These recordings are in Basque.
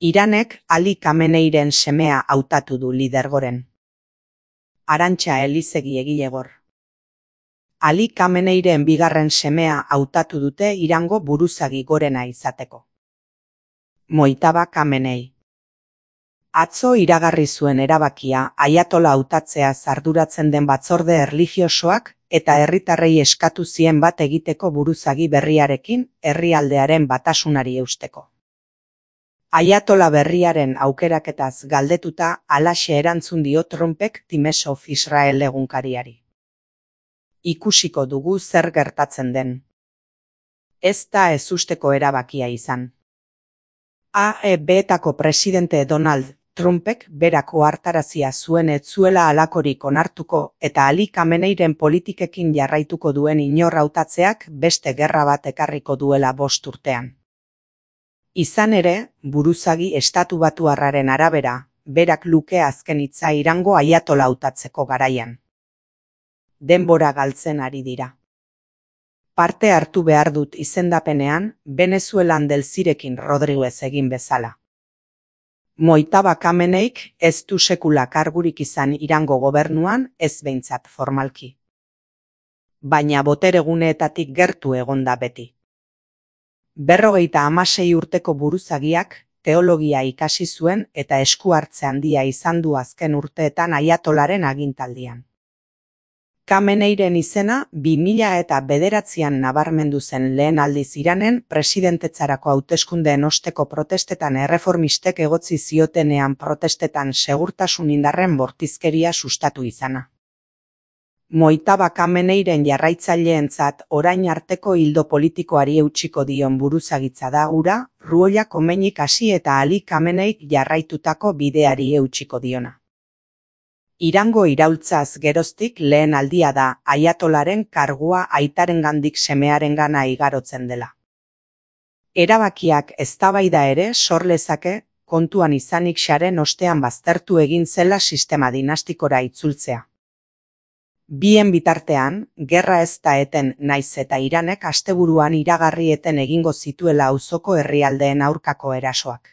Iranek Ali Khameneiren semea hautatu du lidergoren. Arantxa Elizegi egilegor. Ali Khameneiren bigarren semea hautatu dute Irango buruzagi gorena izateko. Mojtaba Khamenei. Atzo iragarri zuen erabakia Ayatola hautatzea arduratzen den batzorde erlijiosoak eta herritarrei eskatu zien bat egiteko buruzagi berriarekin herrialdearen batasunari eusteko. Ayatola berriaren aukeraketaz galdetuta halaxe erantzun dio Trumpek Times of Israel egunkariari. Ikusiko dugu zer gertatzen den. Ez da ezusteko erabakia izan. AEB-etako presidente Donald Trumpek berak ohartarazia zuen ez zuela halakorik onartuko eta Ali Khameneiren politikekin jarraituko duen inor hautatzeak beste gerra bat ekarriko duela 5 urtean. Izan ere, buruzagi estatubatuarraren arabera, berak luke azken hitza Irango Ayatola hautatzeko garaian. Denbora galtzen ari dira. Parte hartu behar dut izendapenean, Venezuelan Delcirekin Rodriguez egin bezala. Mojtaba Khameneik ez du sekula kargurik izan Irango gobernuan, ez behintzat formalki. Baina botereguneetatik gertu egonda beti. 56 urteko buruzagiak teologia ikasi zuen eta esku hartze handia izan du azken urteetan Ayatolaren agintaldian. Khameneiren izena 2009an nabarmendu zen lehen aldiz Iranen presidentetzarako hauteskundeen osteko protestetan erreformistek egotzi ziotenean protestetan segurtasun indarren bortizkeria sustatu izana. Mojtaba Khameneiren jarraitzaileentzat orain arteko ildo politikoari eutsiko dion buruzagitza da hura, Ruhollah Khomeinik hasi eta Ali Khameneik jarraitutako bideari eutsiko diona. Irango iraultzaz geroztik lehen aldia da Ayatolaren kargua aitarengandik semearengana igarotzen dela. Erabakiak eztabaida ere sor lezake, kontuan izanik xaren ostean baztertu egin zela sistema dinastikora itzultzea. Bien bitartean, gerra ez da eten naiz eta Iranek asteburuan iragarri eten egingo zituela auzoko herrialdeen aurkako erasoak.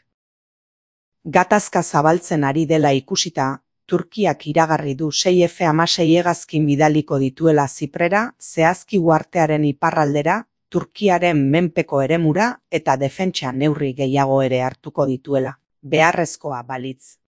Gatazka zabaltzen ari dela ikusita, Turkiak iragarri du 6 F-16 hegazkin bidaliko dituela Ziprera, zehazki uhartearen iparraldera, Turkiaren menpeko eremura eta defentsa neurri gehiago ere hartuko dituela, beharrezkoa balitz.